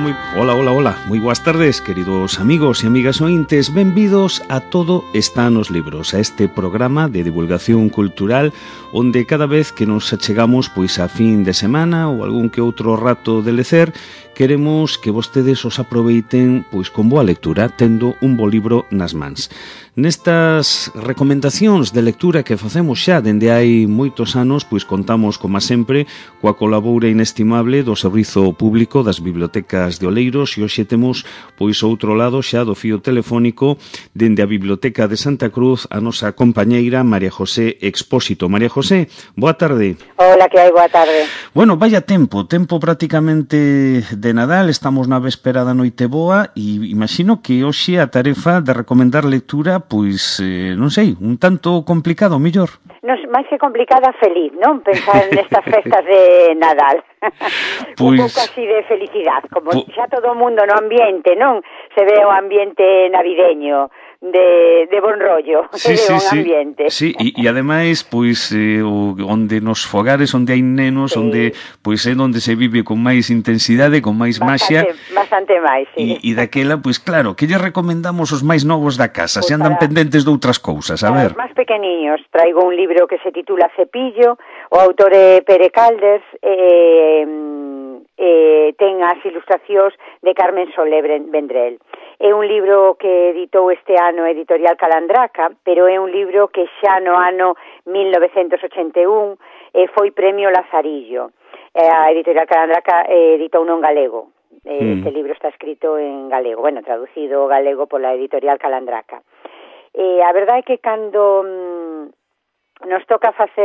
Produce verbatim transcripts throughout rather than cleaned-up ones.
moi... Hola, hola, hola. Moi boas tardes, queridos amigos e amigas ointes. Benvidos a Todo está nos libros, a este programa de divulgación cultural onde cada vez que nos achegamos pois a fin de semana ou algún que outro rato de lecer, queremos que vostedes os aproveiten pois con boa lectura, tendo un bo libro nas mans. Nestas recomendacións de lectura que facemos xa dende hai moitos anos, pois contamos, como sempre, coa colaboura inestimable do Servizo Público das Bibliotecas de Oleiros e hoxe temos, pois, outro lado xa do fío telefónico dende a Biblioteca de Santa Cruz a nosa compañeira María José Expósito. María José, boa tarde. Hola, que hai, boa tarde. Bueno, vaya tempo, tempo prácticamente de Nadal, estamos na véspera da noite boa e imagino que hoxe a tarefa de recomendar lectura, pois, eh, non sei, un tanto complicado, mellor. Non, máis que complicada, feliz, non? Pensar nestas festas de Nadal. Pois, un pouco así de felicidade, como po... xa todo o mundo no ambiente, non? Se ve o ambiente navideño de, de bon rollo, sí, de sí, bon sí. ambiente. Sí, e, e ademais, pois, eh, onde nos fogares, onde hai nenos, sí. onde, pois, é onde se vive con máis intensidade, con máis maxia. Bastante máis, sí. E, e daquela, pois, claro, que lle recomendamos os máis novos da casa, pues se andan para, pendentes de outras cousas, a ver. Para os máis pequeniños, traigo un libro que se titula Cepillo, o autor é Pere Caldes, e... Eh, ten as ilustracións de Carmen Soler Vendrell. É un libro que editou este ano a Editorial Calandraca, pero é un libro que xa no ano mil novecentos ochenta e un eh, foi premio Lazarillo. Eh, a Editorial Calandraca eh, editou non galego. Eh, mm. Este libro está escrito en galego, bueno, traducido galego pola Editorial Calandraca. Eh, a verdade é que cando... Mm, nos toca facer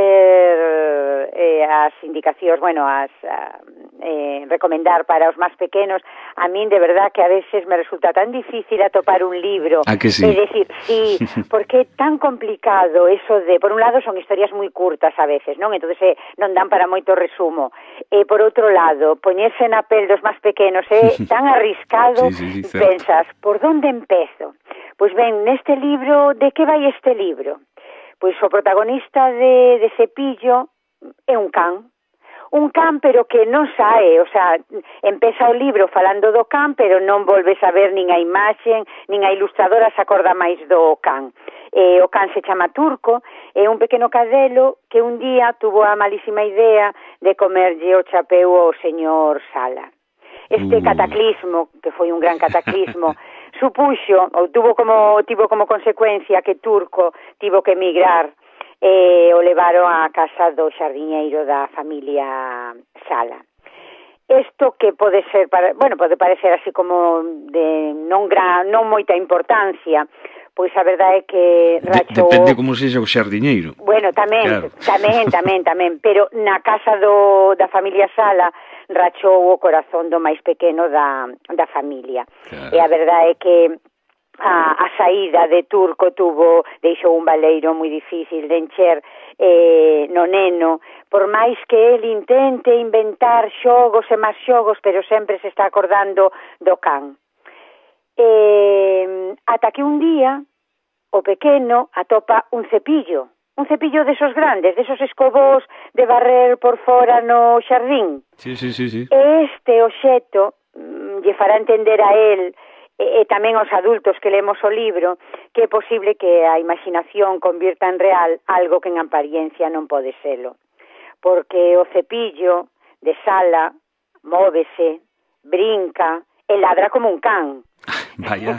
eh, as indicacións, bueno, as a, eh, recomendar para os máis pequenos, a min de verdad que a veces me resulta tan difícil atopar un libro. ¿A que sí? É dicir, sí, porque é tan complicado eso de, por un lado son historias moi curtas a veces, non? Entonces eh, non dan para moito resumo. E por outro lado, poñerse na pel dos máis pequenos é tan arriscado, sí, sí, sí, pensas, por onde empezo? Pois ben, neste libro, de que vai este libro? Pois o protagonista de, de Cepillo é un can. Un can, pero que non sae, o sea, empeza o libro falando do can, pero non volve a ver nin a imaxen, nin a ilustradora se acorda máis do can. Eh, o can se chama Turco, é un pequeno cadelo que un día tuvo a malísima idea de comerlle o chapeu ao señor Sala. Este cataclismo, que foi un gran cataclismo, supuxo, ou tuvo como, tivo como consecuencia que Turco tivo que emigrar e eh, o levaron á casa do xardiñeiro da familia Sala. Isto que pode ser, para, bueno, pode parecer así como de non, gran, non moita importancia, pois a verdade é que rachou... Depende como sexa o xardiñeiro. Bueno, tamén, claro. tamén, tamén, tamén, pero na casa do, da familia Sala rachou o corazón do máis pequeno da, da familia. Claro. E a verdade é que a, a saída de Turco tuvo, deixou un baleiro moi difícil de encher eh, no neno, por máis que el intente inventar xogos e máis xogos, pero sempre se está acordando do can. Eh, ata que un día o pequeno atopa un cepillo, un cepillo desos grandes, desos escobos de barrer por fora no xardín. Sí, sí, sí, sí. Este obxeto mm, lle fará entender a él e, e tamén aos adultos que lemos o libro que é posible que a imaginación convierta en real algo que en apariencia non pode selo. Porque o cepillo de Sala móvese, brinca e ladra como un can. Vaya.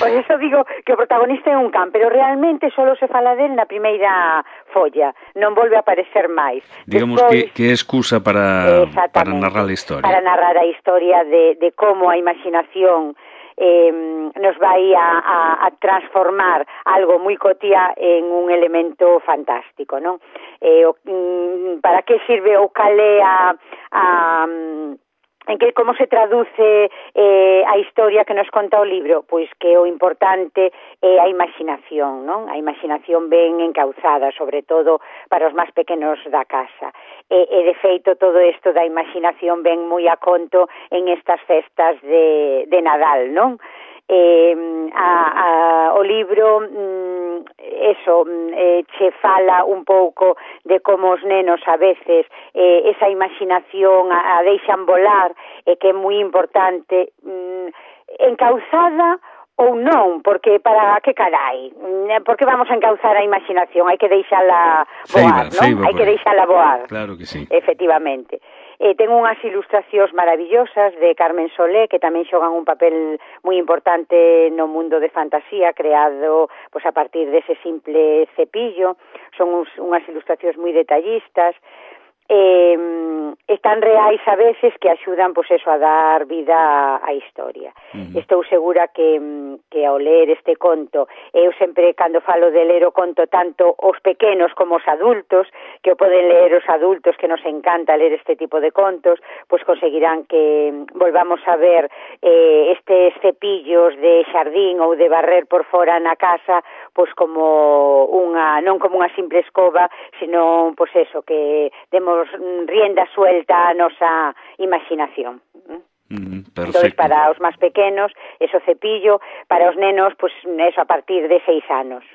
Por eso digo que o protagonista é un can, pero realmente só se fala del na primeira folla, non volve a aparecer máis. Digamos Despois, que, que é excusa para, para narrar a historia. Para narrar a historia de, de como a imaginación eh, nos vai a, a, a transformar algo moi cotiá en un elemento fantástico, non? Eh, o, para que sirve o calé a... a en que como se traduce eh, a historia que nos conta o libro, pois que o importante é a imaginación, non? A imaginación ben encauzada, sobre todo para os máis pequenos da casa. E, e de feito todo isto da imaginación ben moi a conto en estas festas de, de Nadal, non? Eh, a, a, o libro mm, eso, eh, che fala un pouco de como os nenos a veces eh, esa imaginación a, a deixan volar, e que é moi importante, mm, encauzada ou non, porque para que carai, porque vamos a encauzar a imaginación, hai que deixala voar, non? Hai que deixala voar. Claro que sí. Efectivamente. Eh, ten unhas ilustracións maravillosas de Carmen Solé, que tamén xogan un papel moi importante no mundo de fantasía, creado pues, a partir dese simple cepillo. Son uns, unhas ilustracións moi detallistas, eh, están reais a veces, que axudan pues, eso, a dar vida á historia. Uh-huh. Estou segura que, que ao ler este conto, eu sempre, cando falo de ler o conto, tanto os pequenos como os adultos, que o poden ler os adultos, que nos encanta ler este tipo de contos, pues conseguirán que volvamos a ver eh, estes cepillos de xardín ou de barrer por fora na casa, pues como unha, non como unha simple escoba, sino, pues eso, que demos rienda suelta a nosa imaginación. Mm, perfecto. Entonces, para os máis pequenos, eso cepillo, para os nenos, pues eso a partir de seis anos.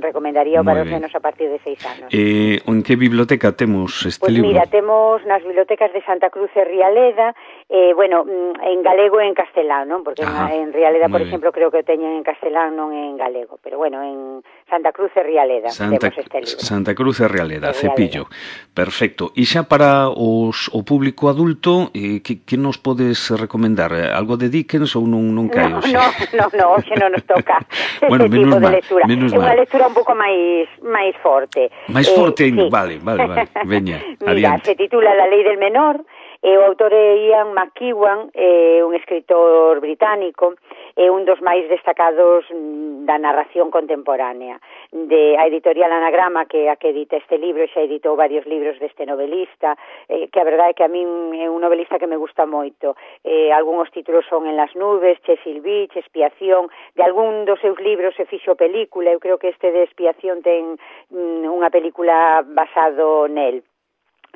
Recomendaría para os nenos a partir de seis anos. Eh, en que biblioteca temos este pues libro? Pues mira, temos nas bibliotecas de Santa Cruz e Rialeda, eh, bueno, en galego e en castelán, non? Porque Ajá, en Rialeda, por exemplo, creo que o teñen en castelán, non en galego, pero bueno, en Santa Cruz e Rialeda Santa, temos este libro. Santa Cruz e Rialeda, cepillo. Perfecto. E xa para os, o público adulto, eh, que, que nos podes recomendar? Algo de Dickens ou non, non cae? No, no, no, no, hoxe non nos toca bueno, ese tipo mal, de lectura. É unha mal. lectura un pouco máis máis forte. Máis eh, forte? Sí. Vale, vale, vale. Veña, Mira, adiante. se titula La lei del menor, e o autor é Ian McEwan, é un escritor británico, é un dos máis destacados da narración contemporánea. De a editorial Anagrama, que a que edita este libro, xa editou varios libros deste novelista, eh, que a verdade é que a min é un novelista que me gusta moito. Eh, algúns títulos son En las nubes, Cecil Beach, Expiación, de algún dos seus libros se fixo película, eu creo que este de Expiación ten mm, unha película basado nel.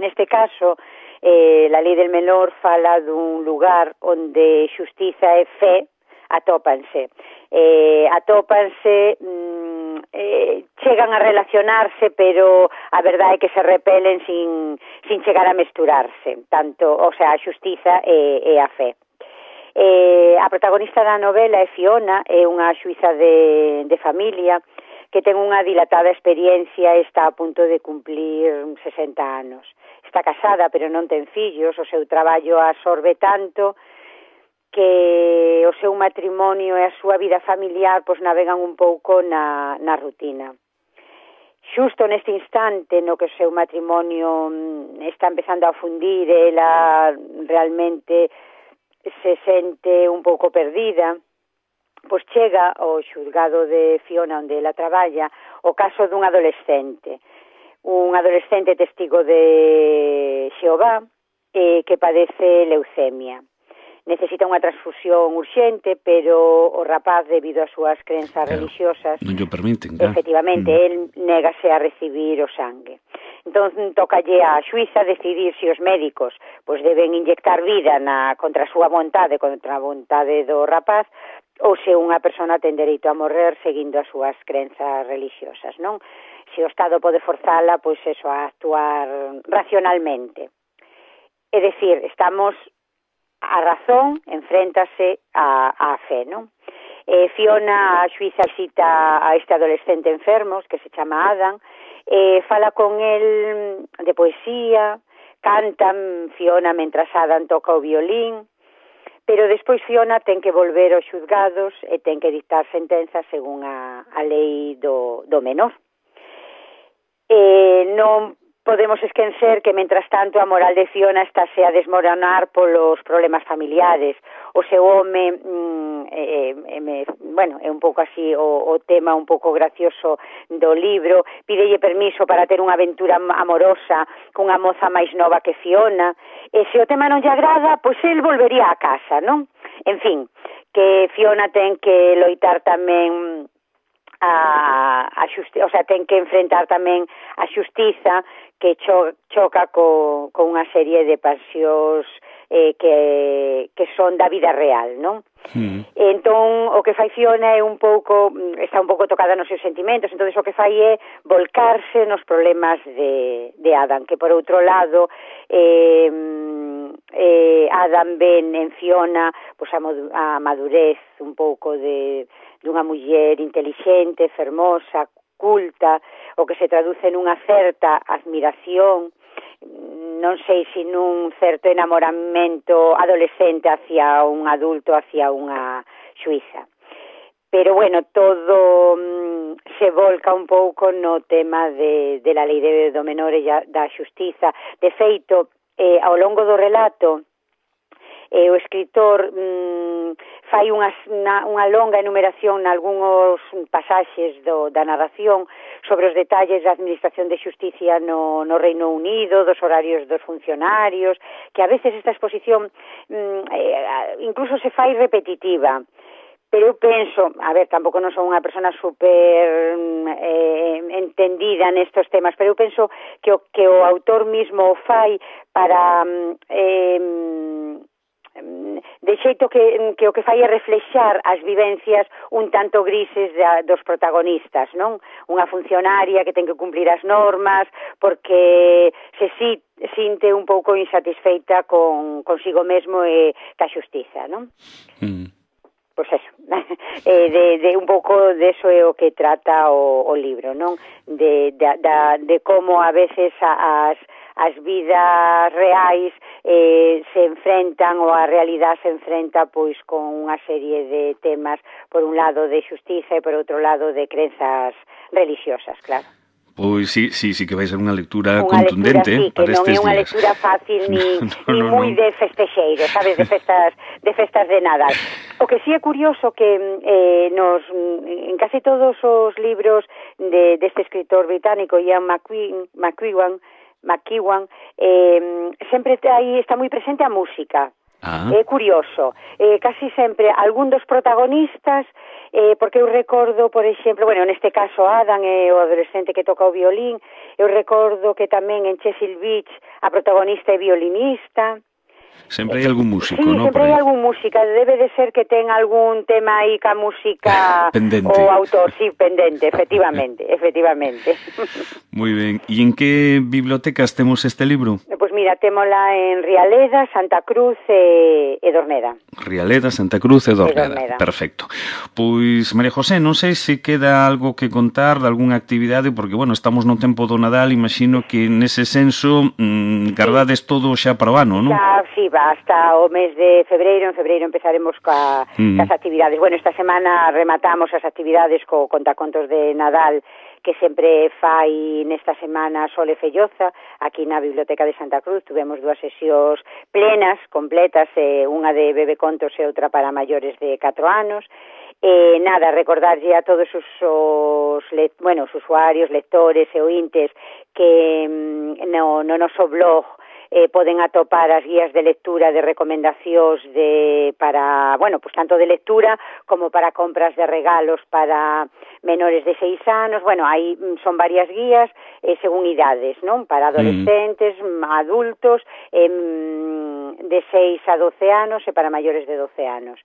Neste caso, eh, La lei del menor fala dun lugar onde xustiza e fe atópanse. Eh, atópanse, mm, eh, chegan a relacionarse, pero a verdade é que se repelen sin, sin chegar a mesturarse, tanto, o sea, a xustiza e, e a fe. Eh, a protagonista da novela é Fiona, é unha xuíza de, de familia, que ten unha dilatada experiencia e está a punto de cumplir sesenta anos. Está casada, pero non ten fillos, o seu traballo absorbe tanto que o seu matrimonio e a súa vida familiar pois navegan un pouco na, na rutina. Xusto neste instante no que o seu matrimonio está empezando a fundir, ela realmente se sente un pouco perdida, pois chega ao xulgado de Fiona, onde ela traballa, o caso dun adolescente, un adolescente testigo de Xehová eh, que padece leucemia. Necesita unha transfusión urxente, pero o rapaz, debido ás súas crenzas claro, religiosas, non o permiten, claro. Efectivamente, mm. el négase a recibir o sangue. Entón, tocalle a xuíza decidir se os médicos pois deben inyectar vida na, contra a súa vontade, contra a vontade do rapaz, ou se unha persona ten dereito a morrer seguindo as súas crenzas religiosas, non? Se o Estado pode forzala, pois eso, a actuar racionalmente. É dicir, estamos... A razón enfréntase a, a fe, non? Eh, Fiona, a xuíza, visita a este adolescente enfermo, que se chama Adam, eh, fala con el de poesía, cantan Fiona mentras Adam toca o violín, pero despois Fiona ten que volver aos xulgados e ten que dictar sentenza según a, a lei do, do menor. Eh, non podemos esquecer que, mentras tanto, a moral de Fiona estáse a desmoronar polos problemas familiares. O seu home, mm, eh, eh, bueno, é un pouco así o, o tema un pouco gracioso do libro, pídelle permiso para ter unha aventura amorosa cunha moza máis nova que Fiona, e se o tema non lle agrada, pois el volvería a casa, non? En fin, que Fiona ten que loitar tamén a, a xusti- o sea, ten que enfrentar tamén a xustiza que cho, choca co, con unha serie de pasións eh, que, que son da vida real, non? Mm. Entón, o que fai Fiona é un pouco, está un pouco tocada nos seus sentimentos, entón o que fai é volcarse nos problemas de, de Adam, que por outro lado, eh, eh, Adam ven en Fiona pues, a, a madurez un pouco de dunha muller intelixente, fermosa, culta, o que se traduce nunha certa admiración, non sei se nun certo enamoramento adolescente hacia un adulto, hacia unha xuíza. Pero, bueno, todo mm, se volca un pouco no tema de, de la lei de, do menor e da xustiza. De feito, eh, ao longo do relato, eh, o escritor mm, fai unha, unha, unha longa enumeración nalgúns pasaxes do, da narración sobre os detalles da administración de xusticia no, no Reino Unido, dos horarios dos funcionarios, que a veces esta exposición mm, eh, incluso se fai repetitiva. Pero eu penso, a ver, tampouco non son unha persona super eh, entendida nestos temas, pero eu penso que o, que o autor mismo o fai para eh, de xeito que, que o que fai é reflexar as vivencias un tanto grises da, dos protagonistas, non? Unha funcionaria que ten que cumplir as normas porque se si, sinte un pouco insatisfeita con consigo mesmo e ca xustiza, non? Mm. Pois eso, eh, de, de un pouco de eso é o que trata o, o libro, non? De, de, de, de como a veces as, as vidas reais eh, se enfrentan ou a realidade se enfrenta pois con unha serie de temas, por un lado de xustiza e por outro lado de crenzas religiosas, claro. Pois sí, sí, sí que vai ser unha lectura unha contundente lectura, sí, para estes días. Que non é unha lectura fácil ni, no, no, ni no, moi no. de festexeiro, sabes, de festas de festas de Nadal. O que sí é curioso que eh, nos en casi todos os libros de deste escritor británico Ian McEwan, McEwan, McEwan eh, sempre aí está moi presente a música. Ah. É curioso, eh, casi sempre algún dos protagonistas, eh, porque eu recordo, por exemplo, bueno, neste caso Adam é o adolescente que toca o violín, eu recordo que tamén en Chesil Beach a protagonista é violinista. Sempre hai algún músico, sí, non? Sí, sempre hai algún música, debe de ser que ten algún tema aí ca música pendente. O autor, sí, pendente, efectivamente, efectivamente. Moi ben, e en que bibliotecas temos este libro? Pois pues mira, témola en Rialeda, Santa Cruz e, e Dorneda. Rialeda, Santa Cruz e Dorneda. E Dorneda. Perfecto. Pois, María José, non sei se queda algo que contar de algunha actividade, porque, bueno, estamos no tempo do Nadal, imagino que nese senso mmm, gardades sí. todo xa para o ano, non? Xa, sí, va, hasta o mes de febreiro, en febreiro empezaremos ca, mm. cas actividades. Bueno, esta semana rematamos as actividades co contacontos de Nadal que sempre fai nesta semana Sole Felloza, aquí na Biblioteca de Santa Cruz. Tuvemos dúas sesións plenas, completas, eh, unha de bebecontos e outra para maiores de catro anos. Eh, nada, recordarlle a todos os, os, le, bueno, os usuarios, lectores e ointes que mm, no, no noso blog Eh, poden atopar as guías de lectura de recomendacións de para, bueno, pues tanto de lectura como para compras de regalos para menores de seis anos. Bueno, aí son varias guías eh, según idades, non? Para adolescentes, mm. adultos, eh, de seis a doce anos e para maiores de doce anos.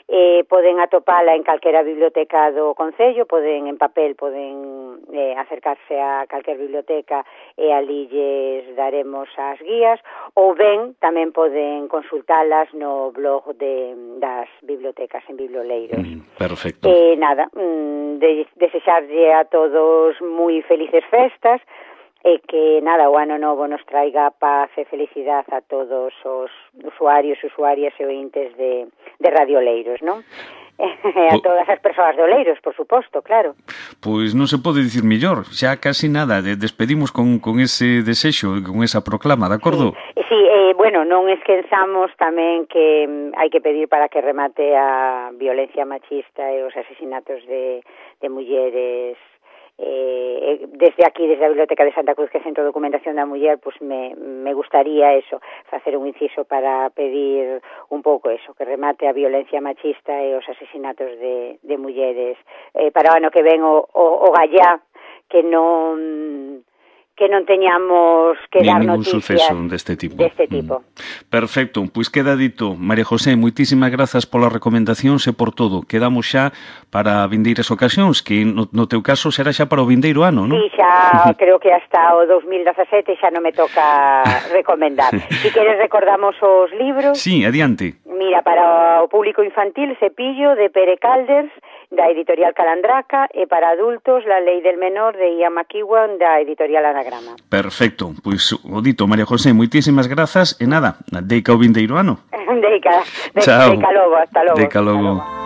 Eh, poden atopala en calquera biblioteca do Concello, poden en papel, poden eh, acercarse a calquer biblioteca e ali lles daremos as guías, ou ben tamén poden consultalas no blog de, das bibliotecas en Biblioleiros. Mm, perfecto. Eh, nada, mm, de, desexarlle a todos moi felices festas, e que, nada, o ano novo nos traiga paz e felicidade a todos os usuarios, usuarias e ointes de, de Radio Oleiros, non? E a todas as persoas de Oleiros, por suposto, claro. Pois non se pode dicir mellor, xa casi nada, despedimos con, con ese desexo, con esa proclama, de acordo? Sí, sí eh, bueno, non esquenzamos tamén que mm, hai que pedir para que remate a violencia machista e os asesinatos de, de mulleres. Eh, desde aquí, desde a Biblioteca de Santa Cruz, que é Centro de Documentación da Muller, pues me, me gustaría eso, facer un inciso para pedir un pouco eso, que remate a violencia machista e os asesinatos de, de mulleres eh, para o ano que ven o, o, o gallá, que non que non teñamos que dar ningún noticias suceso deste tipo. Deste tipo. Mm. Perfecto, pois queda dito. María José, moitísimas grazas polas recomendacións e por todo. Quedamos xa para vindeiras ocasións, que no, no teu caso será xa para o vindeiro ano, non? Sí, xa creo que hasta o dos mil dezasete xa non me toca recomendar. Si queres recordamos os libros. Sí, adiante. Mira, para o público infantil, Cepillo, de Pere Calders, da editorial Calandraca, e para adultos, La lei del menor, de Ian McEwan, da editorial Anagrama. Perfecto, pois o dito, María José, moitísimas grazas e nada, deica o vindeiro ano. Deica, Chao. deica logo, hasta logo. Deica logo.